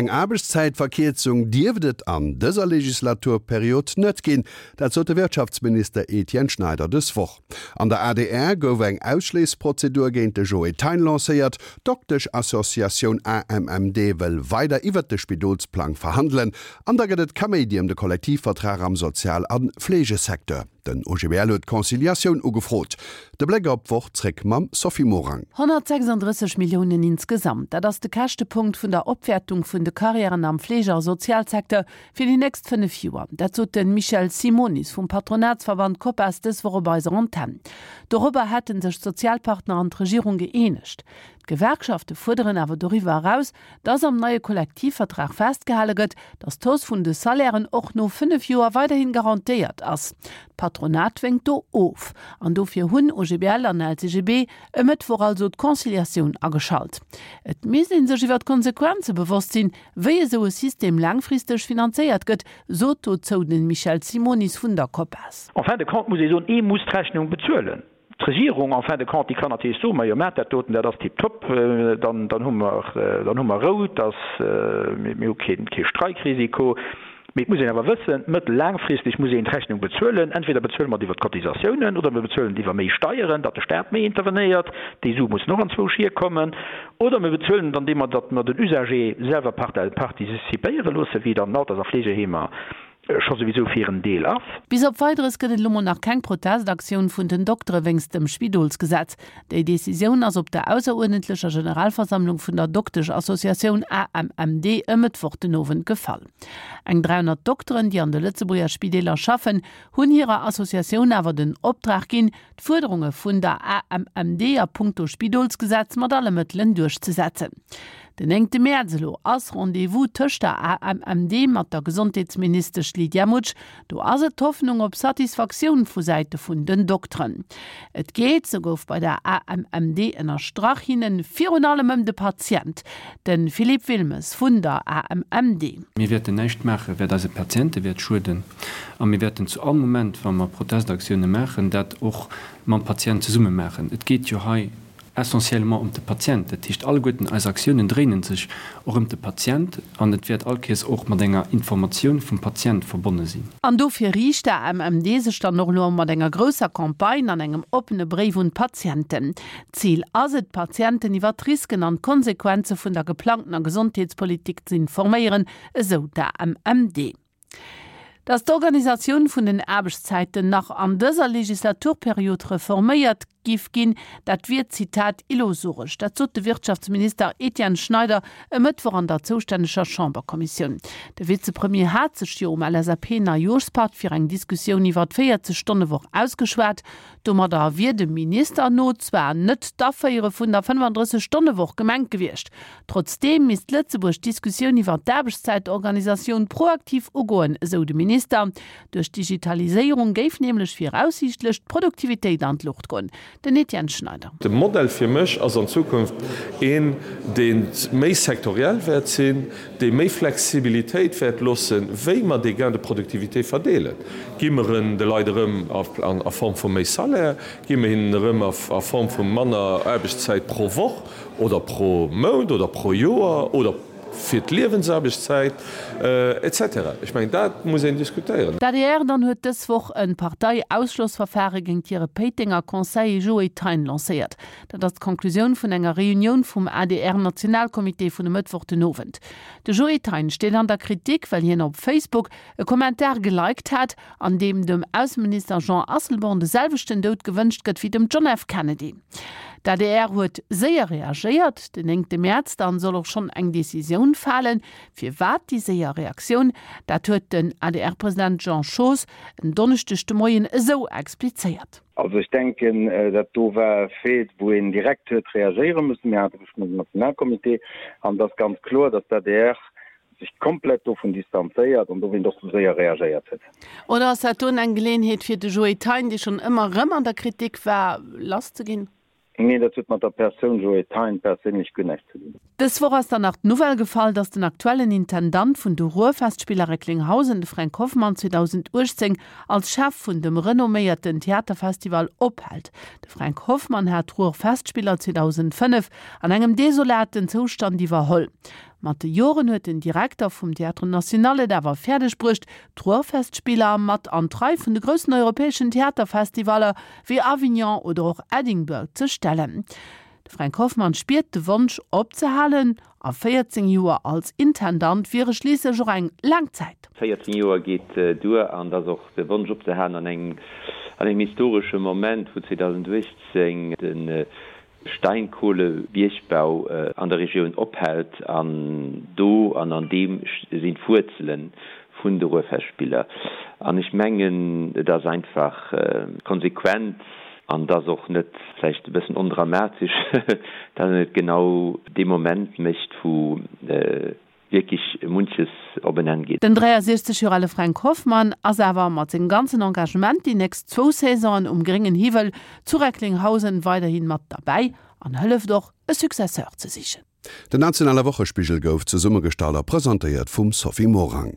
Eng Aarbechtszäitverkierzung dierft et an dëser Legislaturperiod net ginn. Dat sot de Wirtschaftsminister Etienne Schneider dës Woch. An der adr gouf eng Ausschléissprozedur géint de Joe Thein lancéiert. D'Dokteschassociatioun AMMD wëll weider iwwert de Spidolsplang verhandelen. An da gëtt et Kaméidi ëm de Kollektivvertrag am Sozial a Fleegesecteur. Den OGBL huet d'Conciliatioun ugefrot. De Bléck op d'Woch zréck mam Sophie Morang. 136 Milliounen insgesamt, dat ass de Käschtepunkt vun der Opwäertung vun de Karriären am Fleege a Sozialsecteur fir déi nächst 5 Joer. Dat sot de Michel Simonis vum Patronatsverband Copas dës Woch op eiser Antenn. Dorobber hätte sech d'Sozialpartner an d'Regierung gëeenegt. D'Gewerkschafte fuerderen awer doriwwer eraus, dass am neie Kollektivvertrag festgehale gëtt, dass d'Hausse vun de Salairen och no 5 Joer weiderhin garantéiert ass. D'Patronat wénkt do of. An dofir hunn OGBL an LCGB e Mëttwoch also d'Conciliatioun ageschalt. Et misst ee sech iwwer d'Konsequenze bewosst sinn, wéi esou e System laangfristeg finanzéiert gëtt, sot dozou de Michel Simonis vun der Copas. En fin de compte muss ee soen, ee muss d'Rechnung bezuelen. D'Regierung, en fin de compte, déi kann natierlech soen, Majo, maacht dat doten, dat ass tiptop, dann, dann hu mer, dann hu mer Rou, dass, mir hu kee, kee Streikrisiko. Mee et muss een awer wëssen, mëttel-, laangfristeg muss een d'Rechnung bezuelen. Entweder bezuele mer et iwwer d'Cotisatiounen oder mir bezuelen et iwwer méi Steieren, datt de Staat méi intervenéiert, déi Sue mussen och anzwousch hierkommen, oder mir bezuelen et andeem mer, datt mer den Usager selwer participéiere loossen, wéi et an den Alters a Fleegeheemer scho souwisou fir en Deel ass. Bis op Weideres gëtt et elo mol nach keng Protestaktioun vun den Doktere wéinst dem Spidolsgesetz. Déi Decisioun ass op der ausseruerdentlecher Generalversammlung vun der Dokteschassociatioun AMMD e Mëttwoch den Owend gefall. Eng 300 Dokteren, déi an de Lëtzebuerger Spideeler schaffen, hunn hirer Associatioun awer den Optrag ginn, d'Fuerderunge vun der AMMD a punkto Spidolsgesetz mat alle Mëttelen duerchzesetzen. Den néngte Mäerz elo ass Rendez-vous tëscht der AMMD mat der Gesondheetsministesch Lydia Mutsch. Do ass et d'Hoffnung op Satisfaktioun vu Säite vun den Dokteren. Et geet, sou gouf bei der AMMD ënnerstrach, hinnen virun allem ëm de Patient. De Philippe Wilmes vun der AMMD. Mir wäerten näischt maachen, wat eise Patiente wäert schueden. A mir wäerten zu all Moment, wa mer Protestaktioune maachen, dat och mam Patient zesumme maachen. Et geet jo hei essentiellement ëm de Patient. Dat heescht, alleguerten eis Aktiounen dréinen sech och ëm de Patient an et wäert allkéiers och mat enger Informatioun vum Patient verbonne sinn. An dofir riicht d'AMMD sech dann och elo mat enger grousser Campagne an engem oppene Bréif un d'Patienten. D'Zil ass et, d'Patienten iwwer d'Risken an d'Konsequenze vun der geplangtener Gesondheetspolitik z'informéieren, esou d'AMMD. Datt d'Organisatioun vun den Aarbechtszäiten nach an dëser Legislaturperiod reforméiert giff ginn, dat wier, Zitat, illusoresch. Dat sot de Wirtschaftsminister Etienne Schneider e Mëttwoch an der zoustänneger Chamberkommissioun. De Vizepremier hat sech jo um LSAP-Neijooschpatt fir eng Diskussioun iwwer d'Véierzeg Stonne-Woch ausgeschwat. Domadder wier dem Minister no zwar net d'Aféiere vun der 35 Stonne-Woch gemengt gewiescht. Trotzdeem misst Lëtzebuerg d'Diskussioun iwwer d'Aarbechtszäitorganisatioun proaktiv ugoen, esou de Minister. Duerch d'Digitaliséierung géif nämlech viraussiichtlech d'Produktivitéit an d'Luucht goen. Den Etienne Schneider. De Modell fir mech ass an Zukunft een, dee méi sektoriell wäert sinn, dee méi Flexibilitéit wäert loossen, wéi mer dee Gain de productivité verdeelen. Gi mer en de Leit erëm a Form vu méi Salaire? Gi mer hinnen erëm a Form vu manner Aarbechtszäit pro Woch oder pro Mount oder pro Joer oder fir d'Liewensaarbechtszäit et cetera? Ech mengen, dat muss een diskutéieren. D'adr dann huet dës Woch e Parteiausschlossverfare géint hire Péitenger Conseiller Joé Thein lancéiert. Dat ass d'Conclusioun vun enger Reunioun vum ADR-Nationalcomité vun e Mëttwoch den Owend. De Joé Thein steet an der Kritik, well hien op Facebook e Kommentar geliked hat, an deem dem Ausseminister Jean Asselborn de selwechten Doud gewënscht gëtt wéi dem John F. Kennedy. D'ADR huet séier reagéiert. Den néngte Mäerz dann soll och schonn eng Decisioun falen. Firwat déi séier Reaktioun? Dat huet den ADR-President Jean Schoos en Donneschdeg de Moien esou explizéiert. Also ech denken, dat do war e Fait, wou een direkt huet reagéiere mussen. Mir hate gëschter den Nationalcomité an et ass ganz kloer, datt d'ADR sech komplett dovun distanzéiert an dowéint och sou séier reagéiert huet. Oder ass dat doen eng Geleeënheet fir de Joé Thein, dee schonn ëmmer erëm an der Kritik war, lass ze ginn? Nee, dat huet mat der Persoun Joé Thein perséinlech guer näischt ze dinn. Dës Woch ass dann nach d'Nouvelle gefall, datt den aktuellen Intendant vun de Ruhrfestspieler Recklinghausen, de Fränk Hoffmann, 2018 als Chef vun dem renomméierten Theaterfestival ophält. De Fränk Hoffmann hat d'Ruhrfestspieler 2005 an engem desolaten Zoustand iwwerholl. Mat de Joren huet den Direkter vum Théâtre National et awer fäerdeg bruecht, d'Ruhrfestspieler mat an d'Rei vun de groussen europäeschen Theaterfestivaller wéi Avignon oder och Edinburgh ze stellen. De Fränk Hoffmann spiert de Wonsch opzehalen, a 14 Joer als Intendant wiere schliisslech och eng laang Zäit. 14 Joer geet duer an et ass och de Wonsch opzehalen an engem an engem historesche Moment, wou 2018 de Steinkohlebiergbau an der Regioun ophält an do an an deem sinn d'Wuerzele vun de Ruhrfestspieler. An ech mengen, et ass einfach konsequent an et ass och net vläicht e bëssen ondramatesch, datt een et genau dee Moment mécht, wou wierklech munches op en Enn geet. Den 63 Joer ale Fränk Hoffmann ass awer mat sengem ganzen Engagement déi nächst zwou Saisonen um gréngen Hiwwel zu Recklinghausen weiderhi mat derbäi an hëlleft och, e Successeur ze sichen. Den nationale Wochespigel gouf zesummegestallt a presentéiert vum Sophie Morang.